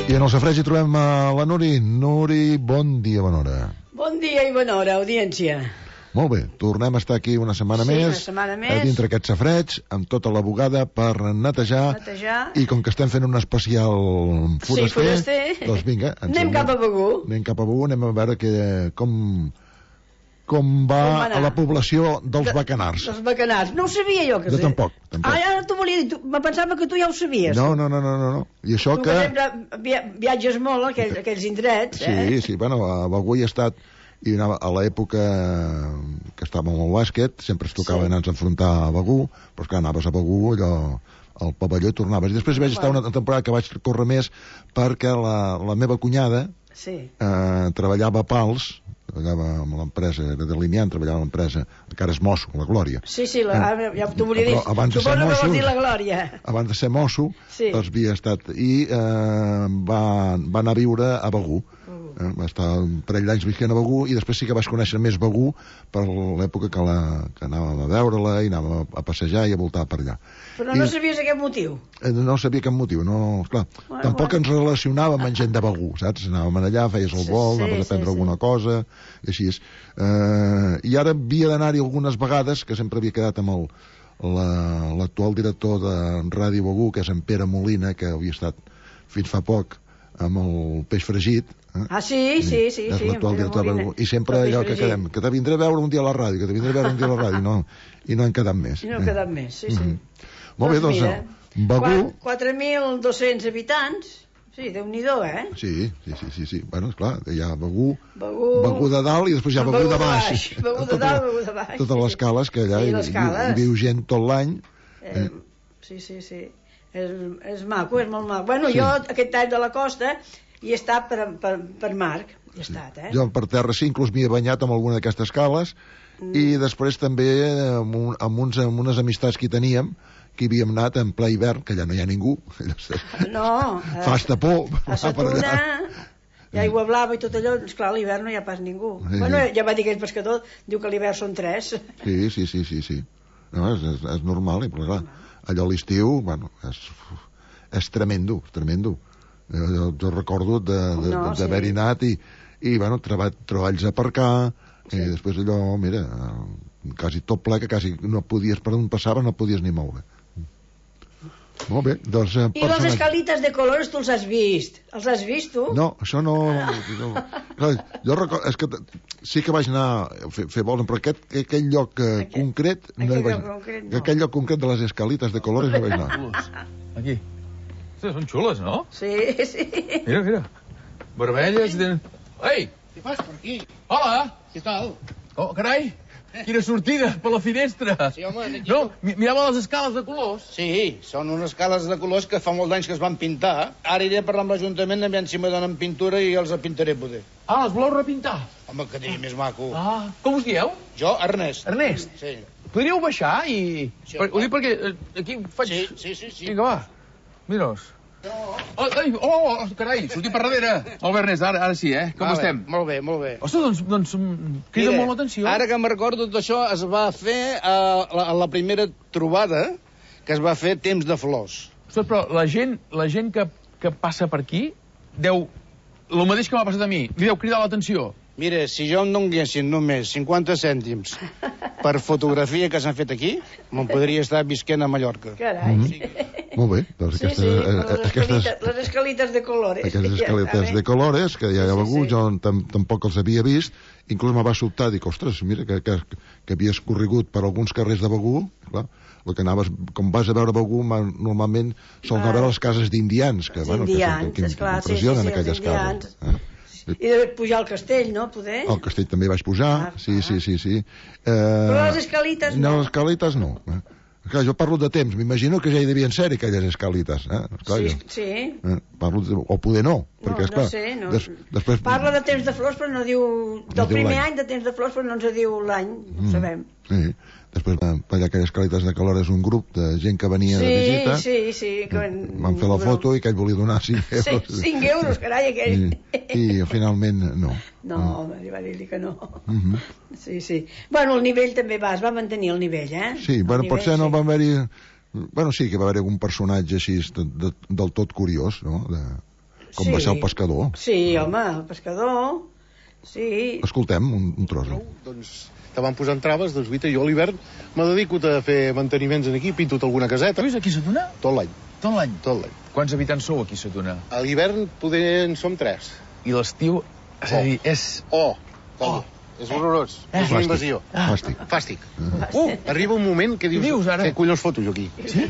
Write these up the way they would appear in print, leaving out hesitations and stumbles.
I en el Safareig hi trobem la Nuri. Nuri, bon dia, bona hora. Bon dia i bona hora, audiència. Molt bé, tornem a estar aquí una setmana més. Una setmana més. Dintre aquest Safareig, amb tota la bugada per netejar. I com que estem fent un especial foraster, doncs vinga. Anem cap a Begur. Anem a veure com va a la població dels bacanars. Dels bacanars. No ho sabia jo, que sé. Jo tampoc. Ara t'ho volia dir, me pensava que tu ja ho sabies. No. I això que... Tu, per exemple, viatges molt a aquells indrets, Sí, bueno, a Begur hi he estat, i a l'època que estàvem al bàsquet, sempre es tocava anar-nos a enfrontar a Begur, però és que anaves a Begur, allò, al pavelló i tornaves. I després vaig estar una temporada que vaig córrer més perquè la meva cunyada treballava a Pals, treballava amb l'empresa, era de Limian, treballava a l'empresa, encara és mosso, la Glòria. Sí, ja t'ho volia dir. Suposo que vols dir la Glòria. Abans de ser mosso, doncs havia estat, i va anar a viure a Begur. Va estar un parell d'anys visquent a Begur, i després sí que vaig conèixer més Begur per l'època que anàvem a veure-la i anàvem a passejar i a voltar per allà. Però no sabies aquest motiu? No sabia cap motiu, no, esclar. Tampoc ens relacionàvem amb gent de Begur, saps? Anàvem allà, feies el vol, anaves a prendre alguna cosa, i així és. I ara havia d'anar-hi algunes vegades, que sempre havia quedat amb l'actual director de Ràdio Begur, que és en Pere Molina, que havia estat fins fa poc amb el peix fregit. Sí. I sempre allò que quedem, que te vindré a veure un dia a la ràdio, i no hem quedat més. I no hem quedat més, sí. Molt bé, doncs, Begur... 4.200 habitants, sí, Déu-n'hi-do, Sí. Bueno, esclar, hi ha Begur de dalt i després hi ha Begur de baix. Begur de dalt, Begur de baix. Totes les cales que allà hi viu gent tot l'any. Sí. És maco, és molt maco. Bueno, jo aquest tall de la costa hi he estat per Marc, hi he estat, Jo per terra sí, inclús m'hi he banyat amb alguna d'aquestes cales, i després també amb unes amistats que hi teníem, que hi havíem anat en ple hivern, que allà no hi ha ningú. No. Fa estapor. A Sa Tuna hi ha aigua blava i tot allò, esclar, a l'hivern no hi ha pas ningú. Bueno, ja va dir aquell pescador, diu que a l'hivern són 3. Sí. No, és normal, i clar, allò a l'estiu, bueno, és tremendo. Jo recordo d'haver-hi anat i bueno, treballs a aparcar, i després allò, mira, quasi tot ple, que quasi no podies, per on passaves no podies ni moure. Molt bé, doncs... I les escalites de colors tu els has vist? Els has vist, tu? No, això no. Jo recordo... És que sí que vaig anar a fer vols, però aquell lloc concret... Aquell lloc concret de les escalites de colors no vaig anar. Aquí. Són xules, no? Sí. Mira. Vermelles... Ei! Què fas per aquí? Hola! Què tal? Oh, carai! Quina sortida, per la finestra! Sí, home, aquí... No, mirava les escales de colors. Sí, són unes escales de colors que fa molts anys que es van pintar. Ara iré a parlar amb l'Ajuntament, aviam si me donen pintura i els pintaré, poder. Les voleu repintar? Home, que digui més maco. Com us dieu? Jo, Ernest. Ernest? Sí. Podríeu baixar i... Sí, ho dic perquè aquí faig... Sí. Vinga, va. Mira-us. Carai, sortim per darrere. Molt bé, Ernest, ara sí, Com estem? Molt bé. Ostres, doncs crida molt l'atenció. Ara que me'n recordo, tot això es va fer a la primera trobada, que es va fer Temps de Flors. Ostres, però la gent que passa per aquí deu... El mateix que m'ha passat a mi, li deu cridar l'atenció. Mira, si jo em donguessin només 50 cèntims per fotografia que s'han fet aquí, me'n podria estar visquent a Mallorca. Carai. Molt bé, doncs les escalites de colores. Aquestes escaletes de colores, que ja hi ha Begur, jo tampoc els havia vist, inclús me va sobtar, dic, ostres, mira, que havies corregut per alguns carrers de Begur, clar, el que anaves, com vas a veure Begur, normalment sols anar a veure les cases d'indians, que impressionen aquelles cases. I de pujar al castell, no, poder? Al castell també vaig pujar, sí. Però les escalites no. No, les escalites no. Clar, jo parlo de temps, m'imagino que ja hi devien ser aquelles escalites. Sí. Parlo o poder no, perquè esclar... No sé, no. Després... Parla de Temps de Flors, però no diu... Del primer any de Temps de Flors, però no ens diu l'any, no sabem. Sí. Després per allà aquelles escaletes de colores un grup de gent que venia de visita. Sí. Van fer la foto i que ell volia donar 5 euros. 5 euros, carai, aquell. I finalment no. No, va dir-li que no. Sí. Bueno, el nivell també es va mantenir el nivell, Sí, bueno, potser no va haver-hi... Bueno, sí que va haver algun personatge així del tot curiós, no? com va ser el pescador. Sí, home, el pescador, sí. Escoltem un tros. Doncs te van posant traves, doncs guita, jo a l'hivern me dedico a fer manteniments aquí, pinto alguna caseta. Tu vius aquí a Sa Tuna? Tot l'any. Tot l'any? Tot l'any. Quants habitants sou aquí a Sa Tuna? A l'hivern poder en som 3. I l'estiu, és a dir, és... És horrorós. És una invasió. Fàstic. Arriba un moment que dius què collons foto jo aquí? Sí?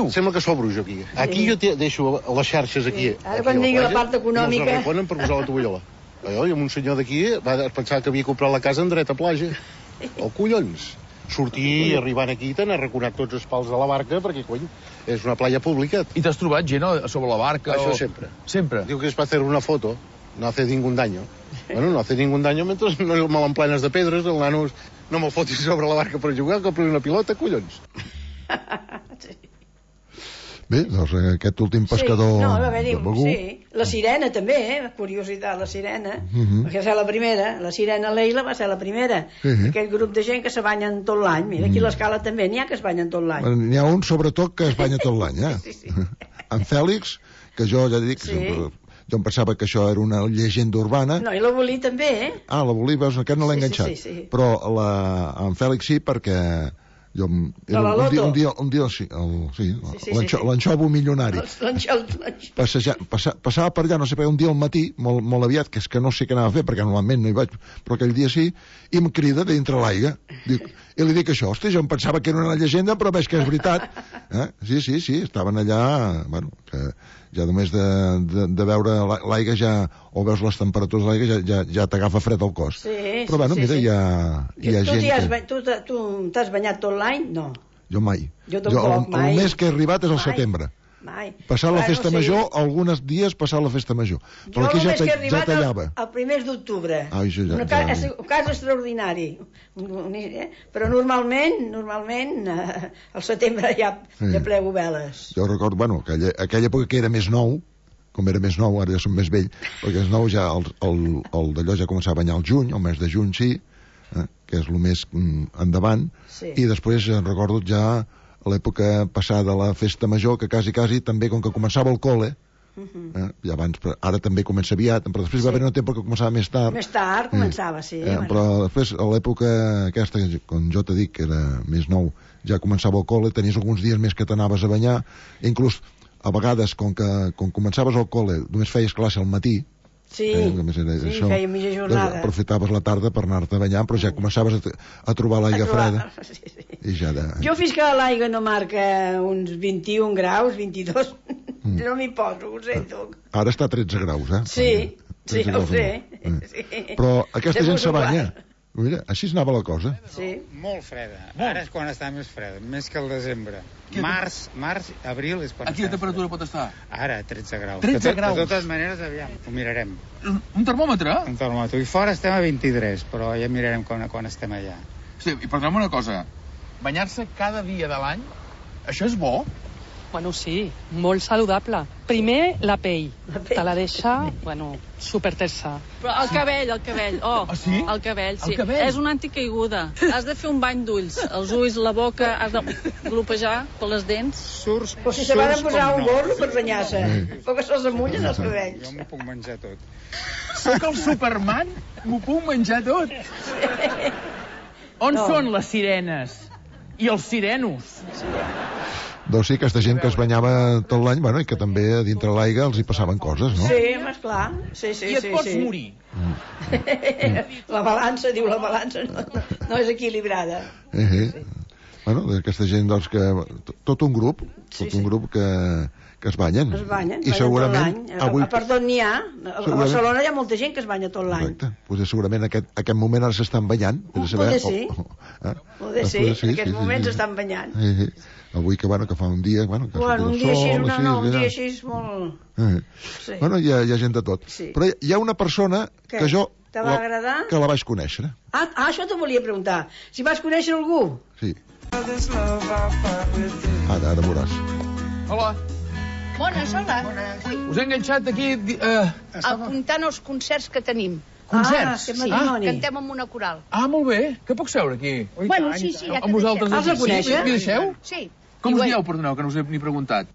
Sembla que sobro jo aquí. Aquí jo deixo les xarxes aquí. Ara quan digui la part econòmica... I els arreconen per posar la tovallola. I amb un senyor d'aquí va pensar que havia comprat la casa en dret a platja. Oh, collons! Sortir arribant aquí t'han arraconat tots els pals de la barca perquè, cony, és una playa pública. I t'has trobat gent a sobre la barca? Això sempre. Sempre? Diu que es va hacer una foto, no hace ningún daño. Bueno, no hace ningún daño mientras no me l'emplenes de pedres, el nano no me'l fotis sobre la barca per jugar, compri una pilota, collons. Sí. Bé, doncs aquest últim pescador de Begur... Sí, la sirena també, curiositat, la sirena, perquè va ser la primera, la sirena Leila va ser la primera, aquell grup de gent que se banyen tot l'any, mira, aquí a l'Escala també n'hi ha que es banyen tot l'any. N'hi ha un, sobretot, que es banya tot l'any, Sí. En Fèlix, que jo ja dic, jo em pensava que això era una llegenda urbana. No, i la Bolí també, Ah, la Bolí, veus, aquest no l'he enganxat. Sí. Però en Fèlix sí, perquè... un dia l'anxovo milionari passava per allà, no sé per un dia al matí molt aviat, que és que no sé què anava a fer perquè normalment no hi vaig, però aquell dia sí, i em crida dintre l'aigua i li dic això, hosti, jo em pensava que era una llegenda però veig que és veritat. Sí, estaven allà, bueno, que ja només de veure l'aigua ja, o veus les temperatures de l'aigua ja t'agafa fred al cos. Però bueno, mira, hi ha gent Tu t'has banyat tot l'any? No. Jo mai. Jo tampoc, mai. El mes que he arribat és el setembre. Mai. Passar la festa major, alguns dies passar la festa major. Però aquí ja tallava. El primer d'octubre. És un cas extraordinari. Però normalment al setembre ja plego veles. Jo recordo, bueno, aquella època que era més nou, com era més nou, ara ja som més vell, perquè és nou ja el d'allò ja començava a banyar al juny, el mes de juny sí, que és el més endavant, i després recordo ja l'època passada a la festa major, que quasi també, com que començava el col·le, i abans, ara també comença aviat, però després va haver un temps que començava més tard. Més tard començava, sí. Però després, a l'època aquesta, com jo t'he dit, que era més nou, ja començava el col·le, tenies alguns dies més que t'anaves a banyar, inclús a vegades, com començaves al col·le, només feies classe al matí, feia mitja jornada. Aprofitaves la tarda per anar-te a banyar, però ja començaves a trobar l'aigua freda. I ja jo fins que l'aigua no marca uns 21 graus, 22, no m'hi poso, ho sento. Ara està a 13 graus, Sí, ho sé. Però aquesta gent se banya. Mira, així anava la cosa. Sí. Molt freda. Ara és quan està més freda, més que el desembre. Març, abril és quan està. A quina temperatura pot estar? Ara, 13 graus. 13 graus? De totes maneres, aviam, ho mirarem. Un termòmetre? Un termòmetre. I fora estem a 23, però ja mirarem quan estem allà. Sí, i perdona'm una cosa. Banyar-se cada dia de l'any, això és bo? Bueno, sí, molt saludable. Primer, la pell. Te la deixa, supertersa. Però el cabell, sí? El cabell, sí. És una anticaiguda. Has de fer un bany d'ulls. Els ulls, la boca, has de glopejar per les dents. Però si se van a posar un gorro per banyar-se, però que se'ls amullen els cabells. Jo m'ho puc menjar tot. Soc el Superman, m'ho puc menjar tot. On són les sirenes? I els sirenos? Doncs sí, aquesta gent que es banyava tot l'any, i que també a dintre l'aigua els hi passaven coses, no? Sí, esclar. Sí. I et pots morir. La balança no és equilibrada. Aquesta gent, doncs, que tot un grup que es banyen. I segurament avui... Per tot n'hi ha. A Barcelona hi ha molta gent que es banya tot l'any. Correcte. Potser segurament aquest moment ara s'estan banyant. Poder sí. Poder sí, en aquests moments s'estan banyant. Avui que fa un dia... un dia així molt... Hi ha gent de tot. Però hi ha una persona que jo... Te va agradar? Que la vaig conèixer. Això t'ho volia preguntar. Si vas conèixer algú? Sí. Ara veuràs. Hola. Bones, hola. Us he enganxat aquí... Apuntant els concerts que tenim. Concerts? Cantem amb una coral. Molt bé. Que puc seure aquí? Bueno, sí, ja amb vosaltres. Els la coneixes? M'hi deixeu? Sí. Com us dieu, perdoneu, que no us he ni preguntat?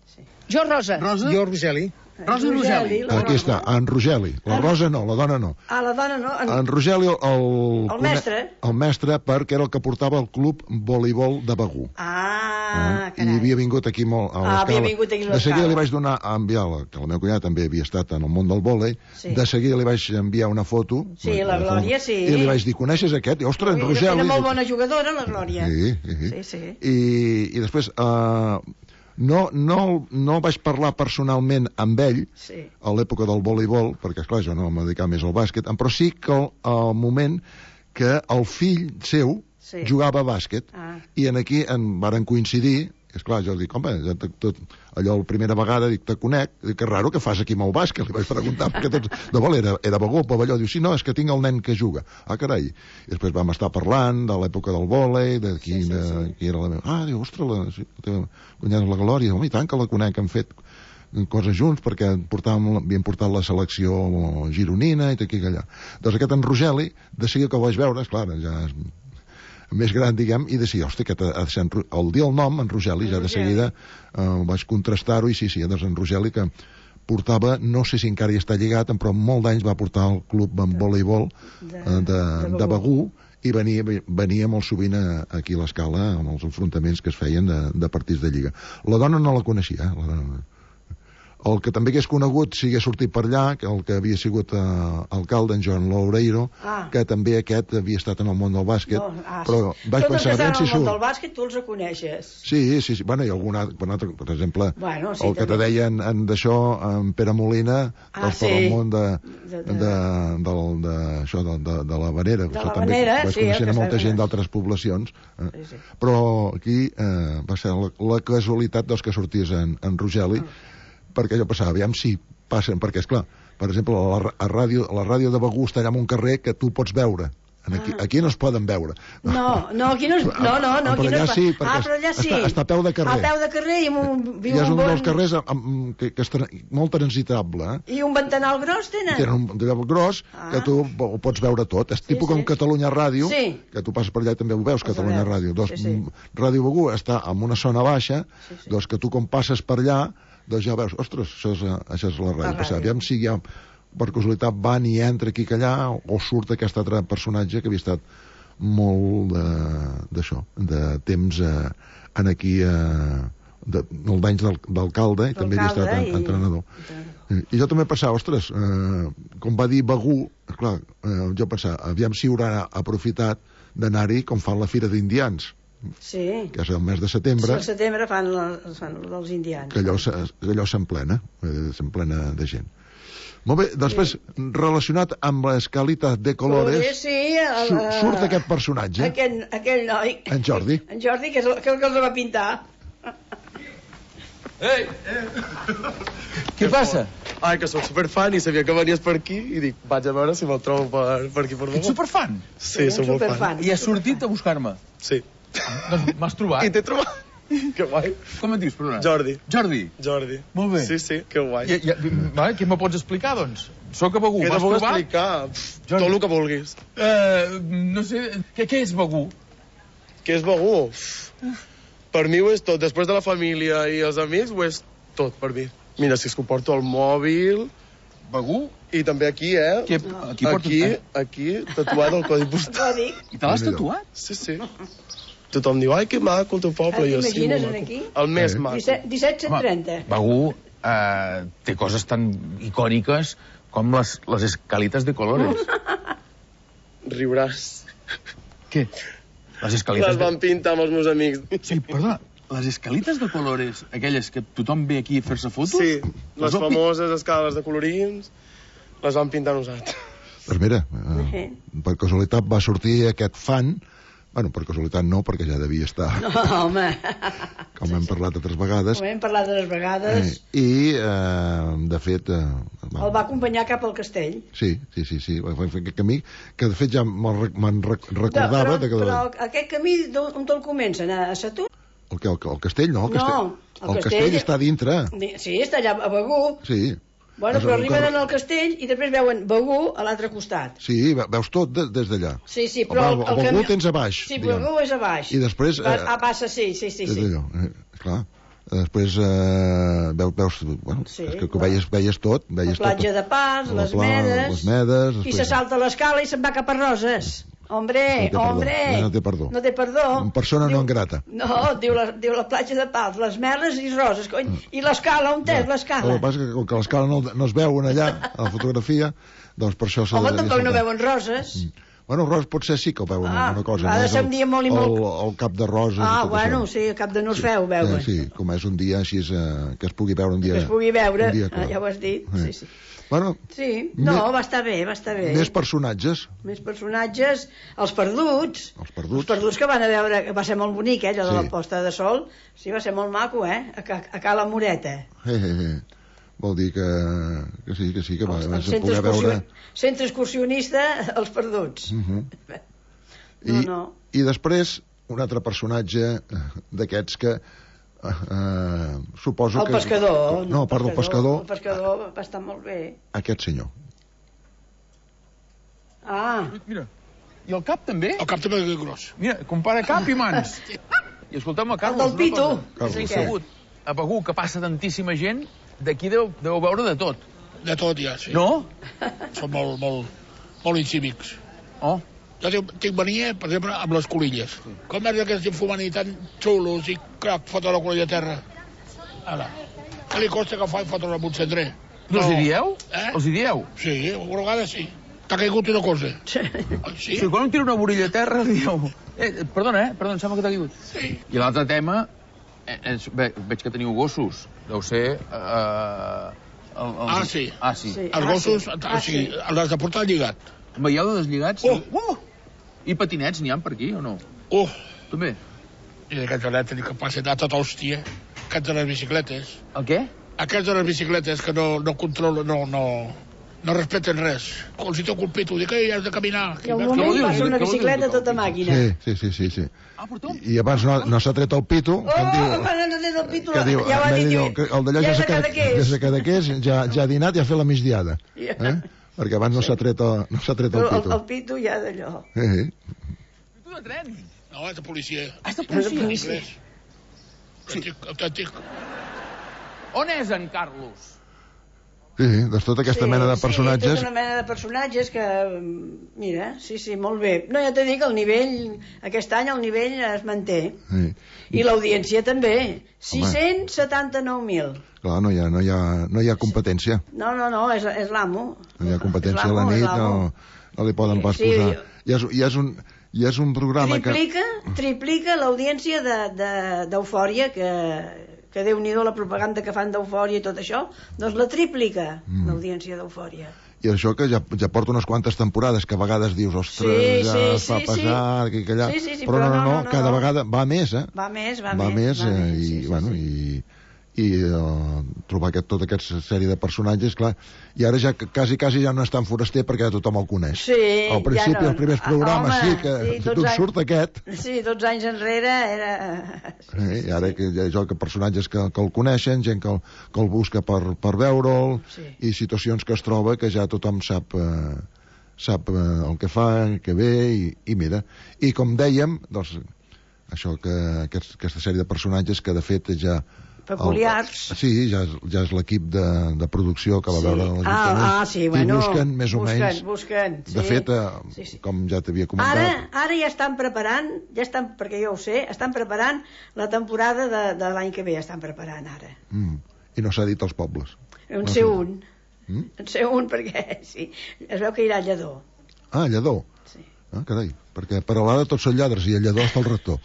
Jo, Rosa. Rosa? Jo, Rogeli. Rosa Rogeli. Aquí està, en Rogeli. La Rosa no, la dona no. Ah, la dona no. En Rogeli, El mestre. El mestre, perquè era el que portava el club voleibol de Begur. Ah, I havia vingut aquí molt a l'escala. havia vingut aquí a l'escala. De seguida li vaig donar a enviar, que la meva cunyada també havia estat en el món del vòlei, de seguida li vaig enviar una foto. Sí, la Glòria, sí. I li vaig dir, coneixes aquest? I, ostres, en Rogeli. Era molt bona jugadora, la Glòria. Sí. I després... No vaig parlar personalment amb ell a l'època del voleibol, perquè, esclar, jo no em dedicava més al bàsquet, però sí que al moment que el fill seu jugava a bàsquet, i aquí en varen coincidir. Esclar, jo dic, home, tot allò la primera vegada, dic, te conec, dic, que raro que fas aquí amb el bàsquet, li vaig preguntar, perquè tots, de vol, era Begur, pavelló, diu, sí, no, és que tinc el nen que juga. Ah, carai. I després vam estar parlant de l'època del vòlei, de qui era la meva... Ah, diu, ostres, la teva cunyada la Glòria, home, i tant que la conec, hem fet coses junts, perquè havien portat la selecció gironina i tot aquí i allà. Doncs aquest en Rogeli, de seguida que el vaig veure, esclar, ja és més gran, diguem, i de dir, hòstia, el dir el nom, en Rogeli, ja de seguida vaig contrastar-ho, i sí, doncs en Rogeli, que portava, no sé si encara hi està lligat, però molts d'anys va portar el club en voleibol de Begur, i venia molt sovint aquí a l'escala amb els enfrontaments que es feien de partits de lliga. La dona no la coneixia, la dona. El que també hagués conegut, si hagués sortit per allà, el que havia sigut alcalde, en Joan Loureiro, que també aquest havia estat en el món del bàsquet, però vaig pensar, en el món del bàsquet tu els reconeixes. Sí, bueno, i algun altre, per exemple, el que te deien d'això, en Pere Molina, per el món de la Vanera, vaig conèixer molta gent d'altres poblacions, però aquí va ser la casualitat dels que sorties en Rogeli, perquè jo pensava, aviam si passen, perquè, esclar, per exemple, la ràdio de Begur està allà en un carrer que tu pots veure. Aquí no es poden veure. No, aquí no es... No, aquí no es... Però allà sí. Està a peu de carrer. A peu de carrer i viu un bon... És un dels carrers que és molt transitable. I un ventanal gros tenen? Tenen un ventanal gros que tu ho pots veure tot. És tipus com Catalunya Ràdio, que tu passes per allà i també ho veus, Catalunya Ràdio. Ràdio Begur està en una zona baixa, doncs que tu com passes per allà, doncs ja veus, ostres, això és la ràdio. Aviam si ja, per casualitat, van i entra aquí que allà, o surt aquest altre personatge que havia estat molt d'això, de temps aquí, el d'anys d'alcalde, i també havia estat entrenador. I jo també pensava, ostres, com va dir Begur, clar, jo pensava, aviam si haurà aprofitat d'anar-hi com fan la Fira d'Indians, que és el mes de setembre. Sí, al setembre fan els indians. Que allò s'emplena de gent. Molt bé, després, relacionat amb l'escalita de colores, surt aquest personatge. Aquell noi. En Jordi. En Jordi, que és el que els va pintar. Ei! Què passa? Ai, que sóc superfan i sabia que venies per aquí i dic, vaig a veure si me'l trobo per aquí per Begur. Ets superfan? Sí, sóc molt fan. I has sortit a buscar-me? Sí. Doncs m'has trobat? I t'he trobat. Que guai. Com et dius, perdona? Jordi. Jordi? Molt bé. Sí, que guai. Què me pots explicar, doncs? Soc a Begur, m'has trobat? Què t'ho puc explicar? Tot el que vulguis. No sé, què és Begur? Què és Begur? Per mi ho és tot. Després de la família i els amics, ho és tot per mi. Mira, si és que ho porto al mòbil... Begur? I també aquí, Aquí, tatuat el codi postal. I te l'has tatuat? Sí. Tothom diu, ai, que maco el teu poble. T'imagines aquí? El més maco. 1730. Begur té coses tan icòniques com les escalitas de colores. Riuràs. Què? Les escalitas... Les van pintar amb els meus amics. Sí, perdona, les escalitas de colores, aquelles que tothom ve aquí a fer-se fotos... Sí, les famoses escales de colorins, les van pintar nosaltres. Doncs mira, per casualitat va sortir aquest fan. Bueno, per casualitat no, perquè ja devia estar... No, home... Com hem parlat altres vegades. Com hem parlat altres vegades. I, de fet... El va acompanyar cap al castell. Sí. Va fer aquest camí, que de fet ja me'n recordava... Però aquest camí, on te'l comencen? A Satur? El castell, no? El castell està dintre. Sí, està allà a Begur. Sí. Bueno, però arriben al castell i després veuen Begur a l'altre costat. Sí, veus tot des d'allà. Sí, però el Begur tens a baix. Sí, Begur és a baix. I després... Passa, sí. Clar. Després veus, bueno, és que veies tot. La platja de Pas, les Medes, i se salta l'escala i se'n va cap a Roses. Hombre, no té perdó. No té perdó. Persona no grata. No, diu la platja de Pals, les Meles i Roses, cony. I l'escala, on és l'escala? El que passa és que com que l'escala no es veuen allà, a la fotografia, doncs per això s'ha de... Home, tampoc no veuen Roses. Bueno, Roses potser sí que ho veuen alguna cosa. Ha de ser un dia molt i molt... El cap de Roses i tot bueno, això. sí, el cap de Norfeu veuen. Sí, com és un dia així que es pugui veure un dia... Que es pugui veure, ja ho has dit, sí. Bueno, sí, no, va estar bé. Més personatges. Els perduts. Els perduts que van a veure, que va ser molt bonic, allò de la posta de sol. Sí, va ser molt maco, a Cala Moreta. Vol dir que sí, que va poder veure... Centre excursionista, els perduts. I després, un altre personatge d'aquests que... suposo el pescador. No, perdó, el pescador. El pescador va estar molt bé. Aquest senyor. Mira, i el cap també? El cap també és gros. Mira, compara cap i mans. I escolteu-me, Carlos, el del Pitu. A Begur, que passa tantíssima gent, d'aquí deu veure de tot. De tot, ja, sí. No? Són molt incívics. Oh. Jo tinc mania, per exemple, amb les colilles. Com és que estic fumant i tan xulos i crac, fotre la colilla a terra? Ara, què li costa que fa fotre amb un cendrer? No. Els hi dieu? Els hi dieu? Sí, alguna vegada sí. T'ha caigut una cosa. Sí, quan em tira una vorilla a terra li dieu... Perdona, em sembla que t'ha caigut. Sí. I l'altre tema, veig que teniu gossos. Deu ser... Sí. Els gossos, sí, els de portar lligat. Veieu de deslligats? I patinets n'hi ha per aquí o no? També? I d'aquests elèctrics que passen a tota hòstia, aquests de les bicicletes. El què? Aquests de les bicicletes que no controlen, no respecten res. Com si t'ho colpito, dic que has de caminar. I al moment passa una bicicleta tota màquina. Sí. I abans no s'ha tret el pito. Abans no s'ha tret el pito, ja ho ha dit. El d'allà ja s'ha Cadaqués, ja ha dinat i ha fet la migdiada. Perquè abans no s'ha tret el pito. El pito ja d'allò. Pito de tren? No, és de policia. És de policia? Autèntic. On és en Carlos? Sí, de tota aquesta mena de personatges. Sí, tota una mena de personatges que, mira, sí, molt bé. No, ja t'he dit que el nivell, aquest any el nivell es manté. I l'audiència també. 679.000. Clar, no hi ha competència. No, és l'amo. No hi ha competència a la nit, no li poden pas posar. I és un programa Triplica l'audiència d'Eufòria, que Déu-n'hi-do la propaganda que fan d'Eufòria i tot això, doncs la triplica l'audiència d'Eufòria. I això que ja porta unes quantes temporades, que a vegades dius, ostres, ja fa pesar, que allà... Però no, cada vegada va més, Va més. I trobar tota aquesta sèrie de personatges, clar, i ara ja quasi ja no és tan foraster perquè tothom el coneix. Al principi, els primers programes, d'on surt aquest. Sí, 12 anys enrere era... I ara hi ha personatges que el coneixen, gent que el busca per veure'l, i situacions que es troba que ja tothom sap el que fa, que ve, i mira. I com dèiem, doncs, això que aquesta sèrie de personatges que de fet ja peculiars. Sí, ja és l'equip de producció que va veure l'Ajuntament. I busquen, més o menys. Busquen. De fet, com ja t'havia comentat... Ara ja estan preparant, perquè jo ho sé, estan preparant la temporada de l'any que ve, estan preparant ara. I no s'ha dit als pobles. En sé un, perquè sí, es veu que irà a Lledó. Ah, Lledó? Sí. Ah, carai, perquè per a l'ara tots són lladres i a Lledó està el rector.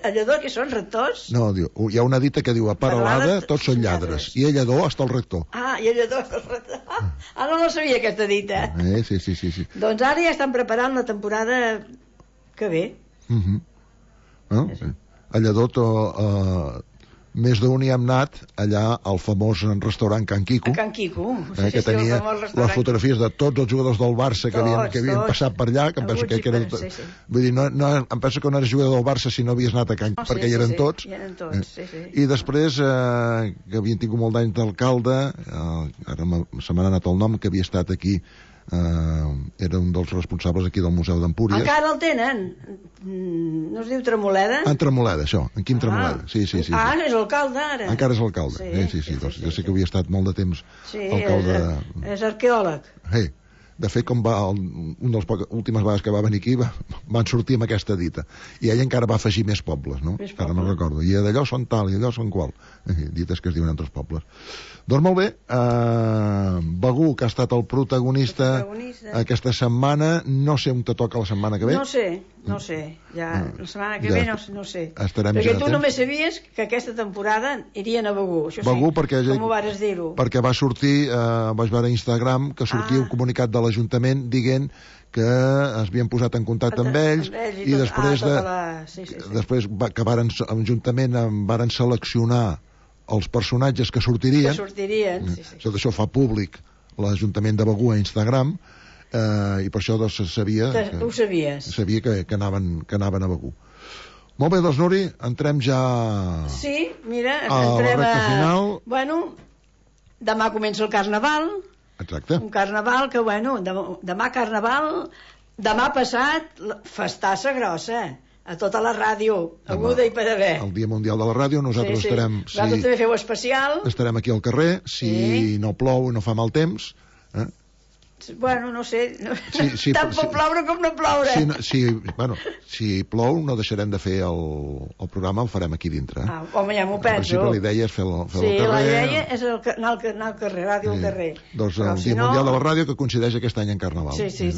A Lledó que són rectors? No, hi ha una dita que diu a Peralada tots són lladres i a Lledó està el rector. I a Lledó està el rector. No la sabia aquesta dita. Sí. Doncs ara ja estan preparant la temporada que ve. A Lledó més d'un hi hem anat allà al famós restaurant Can Quico. Can Quico, que tenia les fotografies de tots els jugadors del Barça que havien passat per allà, que em penso que eren... Vull dir, em penso que no eres jugador del Barça si no havies anat a Can Quico, perquè hi eren tots. I després, que havien tingut molt d'anys d'alcalde, ara se m'ha anat el nom, que havia estat aquí era un dels responsables aquí del Museu d'Empúries. Encara el tenen? No es diu Tremoleda? En Tremoleda, això, en Quim Tremoleda. Sí. És alcalde ara. Encara és alcalde. Sí. Doncs jo sé que havia estat molt de temps alcalde. És arqueòleg. De fet, com un dels últimes vegades que va venir aquí van sortir amb aquesta dita, i ell encara va afegir més pobles, no? Ara no recordo, i d'allò són tal i d'allò són qual, dites que es diuen altres pobles. Doncs molt bé, Begur, que ha estat el protagonista aquesta setmana, no sé on te toca la setmana que ve. No sé, ja la setmana que ve no sé. Perquè tu només sabies que aquesta temporada irien a Begur, això Begur, sí, com ho vares dir-ho? Perquè va sortir, vaig veure a Instagram que sortia un comunicat de l'Ajuntament dient que es havien posat en contacte amb ells i després que l'Ajuntament varen seleccionar els personatges que sortirien. Tot això fa públic l'Ajuntament de Begur a Instagram, i per això sabia que anaven a Begur. Molt bé, doncs, Nuri, entrem ja a la recta final. Bueno, demà comença el Carnaval. Exacte. Un Carnaval que, demà Carnaval, demà passat, festassa grossa, a tota la ràdio, aguda i per haver. El Dia Mundial de la Ràdio, nosaltres estarem... Vosaltres també feu especial. Estarem aquí al carrer, si no plou, no fa mal temps. Bueno, no sé, tant pot ploure com no ploure. Si plou, no deixarem de fer el programa, el farem aquí dintre. Home, ja m'ho penso. En principi la idea és fer al carrer. Sí, la idea és anar al carrer, ràdio al carrer. Doncs el Dia Mundial de la Ràdio, que coincideix aquest any en Carnaval. Sí.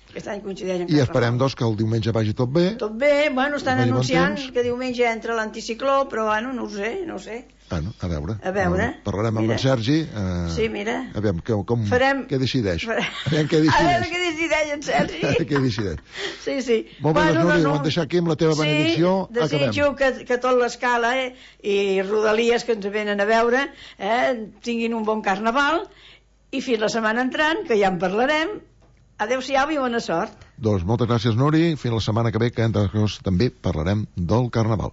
Aquest any coincideix en Carnaval. I esperem, doncs, que el diumenge vagi tot bé. Tot bé, estan anunciant que diumenge entra l'anticicló, però, no ho sé. A veure. Parlarem amb en Sergi. Sí, mira. Aviam, què decideix? A veure què decideix en Sergi. Què decideix? Sí. Molt bé, Nuri, ho hem deixat aquí amb la teva benedicció. Desitjo que tot l'escala i Rodalies que ens venen a veure tinguin un bon Carnaval, i fins la setmana entrant, que ja en parlarem. Adéu-siau i bona sort. Doncs moltes gràcies, Nuri. Fins la setmana que ve, que entre altres coses també parlarem del Carnaval.